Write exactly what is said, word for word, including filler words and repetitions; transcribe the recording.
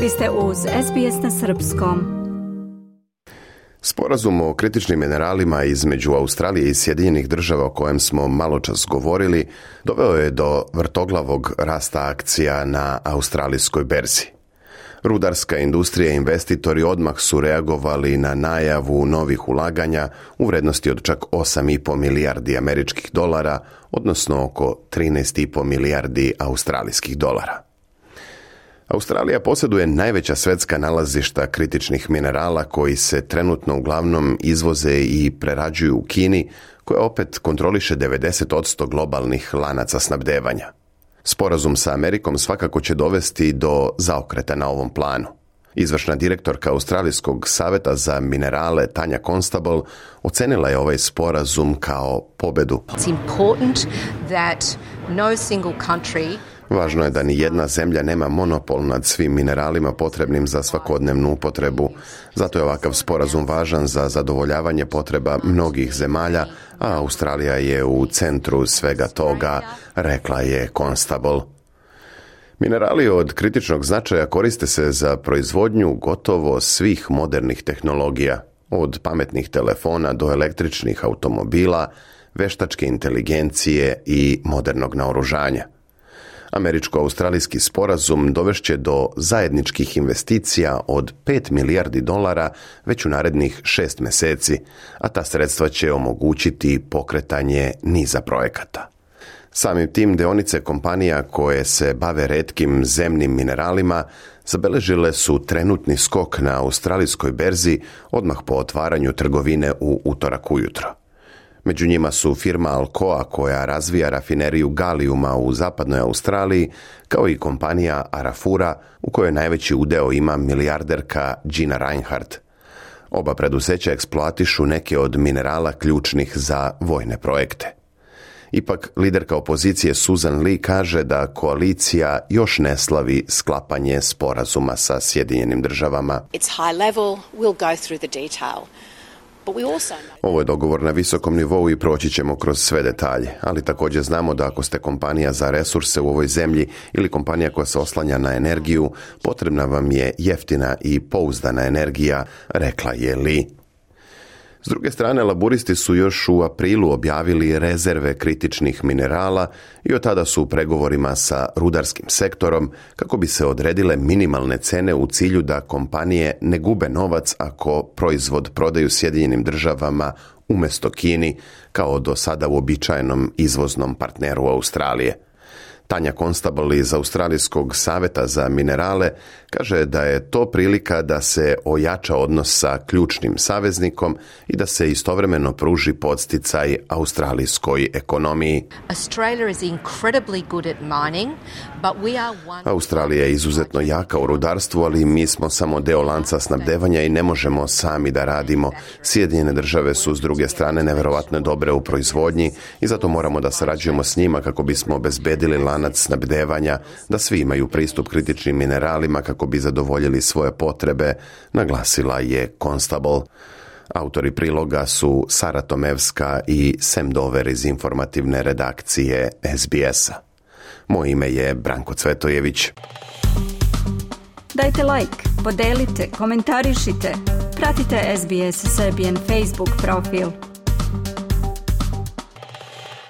Vi ste uz S B S na srpskom. Sporazum o kritičnim mineralima između Australije i Sjedinjenih Država o kojem smo maločas govorili doveo je do vrtoglavog rasta akcija na australijskoj berzi. Rudarska industrija i investitori odmah su reagovali na najavu novih ulaganja u vrednosti od čak osam i po milijardi američkih dolara, odnosno oko trinaest i po milijardi australijskih dolara. Australija posjeduje najveća svjetska nalazišta kritičnih minerala koji se trenutno uglavnom izvoze i prerađuju u Kini, koja opet kontroliše devedeset posto globalnih lanaca snabdevanja. Sporazum sa Amerikom svakako će dovesti do zaokreta na ovom planu. Izvršna direktorka Australijskog saveta za minerale Tanja Constable ocenila je ovaj sporazum kao pobedu. It's important that no single country Važno je da ni jedna zemlja nema monopol nad svim mineralima potrebnim za svakodnevnu upotrebu. Zato je ovakav sporazum važan za zadovoljavanje potreba mnogih zemalja, a Australija je u centru svega toga, rekla je Constable. Minerali od kritičnog značaja koriste se za proizvodnju gotovo svih modernih tehnologija, od pametnih telefona do električnih automobila, veštačke inteligencije i modernog naoružanja. Američko-australijski sporazum dovešće do zajedničkih investicija od pet milijardi dolara već u narednih šest mjeseci, a ta sredstva će omogućiti pokretanje niza projekata. Samim tim dionice kompanija koje se bave retkim zemnim mineralima zabeležile su trenutni skok na australijskoj berzi odmah po otvaranju trgovine u utorak ujutro. Među njima su firma Alcoa koja razvija rafineriju galijuma u zapadnoj Australiji, kao i kompanija Arafura u kojoj najveći udeo ima milijarderka Gina Rinehart. Oba preduzeća eksploatišu neke od minerala ključnih za vojne projekte. Ipak, liderka opozicije Susan Lee kaže da koalicija još ne slavi sklapanje sporazuma sa Sjedinjenim Državama. It's high level, we'll go through the detail. Ovo je dogovor na visokom nivou i proći ćemo kroz sve detalje, ali također znamo da ako ste kompanija za resurse u ovoj zemlji ili kompanija koja se oslanja na energiju, potrebna vam je jeftina i pouzdana energija, rekla je Lee. S druge strane, laburisti su još u aprilu objavili rezerve kritičnih minerala i od tada su u pregovorima sa rudarskim sektorom kako bi se odredile minimalne cene u cilju da kompanije ne gube novac ako proizvod prodaju Sjedinjenim Državama umjesto Kini, kao do sada uobičajenom izvoznom partneru Australije. Tanja Constable iz Australijskog saveta za minerale kaže da je to prilika da se ojača odnos sa ključnim saveznikom i da se istovremeno pruži podsticaj australijskoj ekonomiji. Australija je izuzetno jaka u rudarstvu, ali mi smo samo deo lanca snabdevanja i ne možemo sami da radimo. Sjedinjene Države su s druge strane neverovatno dobre u proizvodnji i zato moramo da sarađujemo s njima kako bismo obezbedili lanac snabdevanja, da svi imaju pristup kritičnim mineralima kako bi zadovoljili svoje potrebe, naglasila je Constable. Autori priloga su Sara Tomevska i Sam Dover iz informativne redakcije S B S-a. Moje ime je Branko Cvetojević. Dajte like, podelite, komentarišite, pratite S B S Serbian Facebook profil.